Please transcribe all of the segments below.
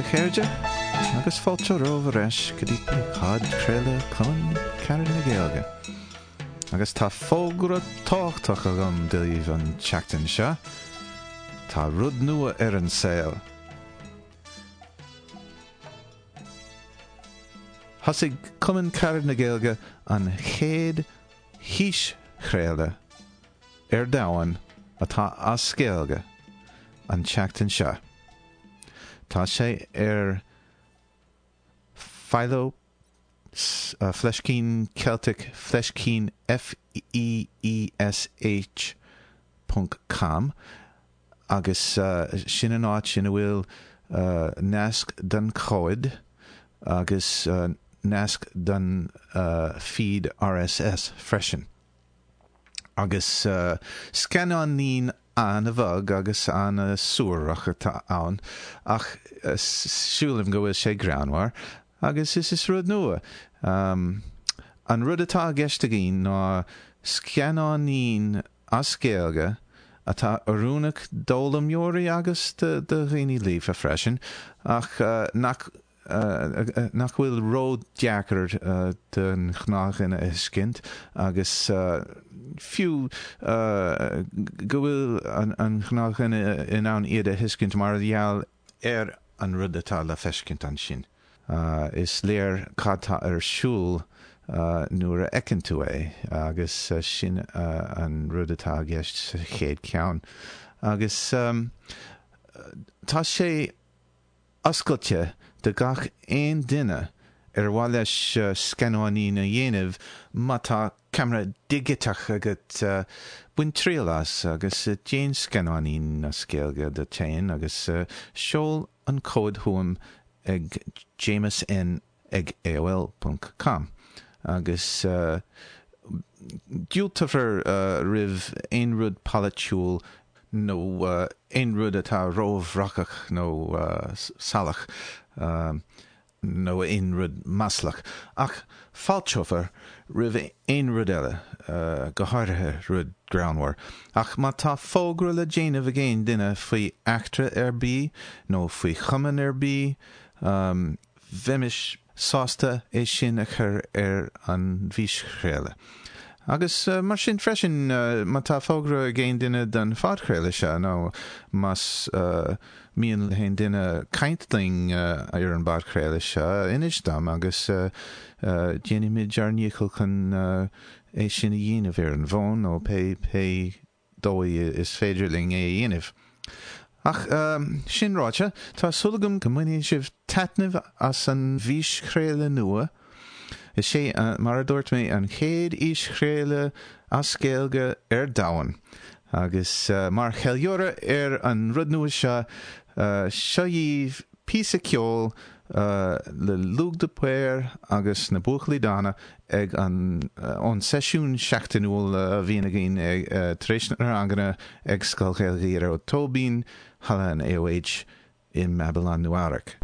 a chairde, agus fáilte romhaibh ar ais go dtí podchraoladh Cumann Carad na Gaeilge. Agus tá fógra tábhachtach agam daoibh an tseachtain seo, tá rud nua ar an saol! Thosaigh Cumann Carad na Gaeilge an chéad fhíschraoladh ar domhan atá as Gaeilge an tseachtain seo. Tá sé ar Philo Fleiscín Celtic Fleiscín F-E-E-S-H ponc com agus sin an áit ina bhfuil nasc don chomhad agus nasc don feed rss freisin. Agus scannáinín an-bhog agus an-suarach atá ann ach sílim go bhfuil sé greannmhar agus is is rud nua. An rud atá i gceist againn ná scannáinín as Gaeilge atá oiriúnach d'fhoghlaimeoirí agus do dhaoine líofa freisin ach nach nach bhfuil ró-dheacair don ghnáthdhuine a thuiscint agus fiú go bhfuil an gnáthdhuine in ann iad a thuiscint mar gheall ar an rud atá le feiscint ansin. Is léir cad tá ar siúl nuair a fheiceann tú é agus sin an rud atá i gceist sa chéad cheann. Agus tá sé oscailte do gach aon duine ar mhaith leis scannáinín a dhéanamh, má tá ceamara digiteach agat, bain triail as agus déan scannáinín as Gaeilge duit féin agus seol an comhad chugam ag jamusn ag aol ponc com agus diúltófar roimh aon rud polaitiúil nó aon rud atá róbhrocach nó salach nó aon rud maslach, ach fáilteofar roimh aon rud eile, go háirithe rud greannmhar. Ach má tá fógra le déanamh ag aon duine faoi eachtra ar bith nó faoi chumann ar bith, Bheimis sásta é sin a chur ar an bhfíschraoladh. Agus mar sin freisin, má tá fógra ag aon duine don phodchraoladh seo nó más mian le haon duine caint linn ar an bpodchraoladh seo, inis dom agus déanfaimid ár ndícheall chun é sin a dhéanamh ar an bhfón nó pé pé dóigh is féidir linn é a dhéanamh. Ach sin ráite, tá súil agam go mbainfidh sibh taitneamh as an bhfíschraoladh nua. Is é, mar a dúirt mé, an chéad fhíschraoladh as Gaeilge ar domhan. Agus mar cheiliúradh ar an rud nua seo, seo dhaoibh píosa ceoil le Lugh de Paor agus na Buachaillí Dána ag an ón seisiún seachtainiúil a bhíonn againn tar éis na ranganna ag Scoil Ghaeilge Ghearóid Tóibín, Halla an AOH i mBabylon, Nua-Eabhrac.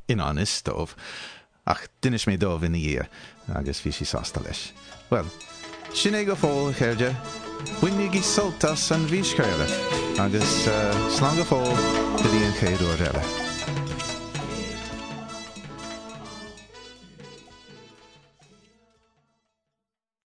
i ngan fhios dóibh. Ach d'inis mé dóibh ina dhiaidh agus bhí siad sásta leis. Bhuel, sin é go fóill, a chairde. Bainigí sult as an bhfíschraoladh agus slán go fóill go dtí an chéad uair eile.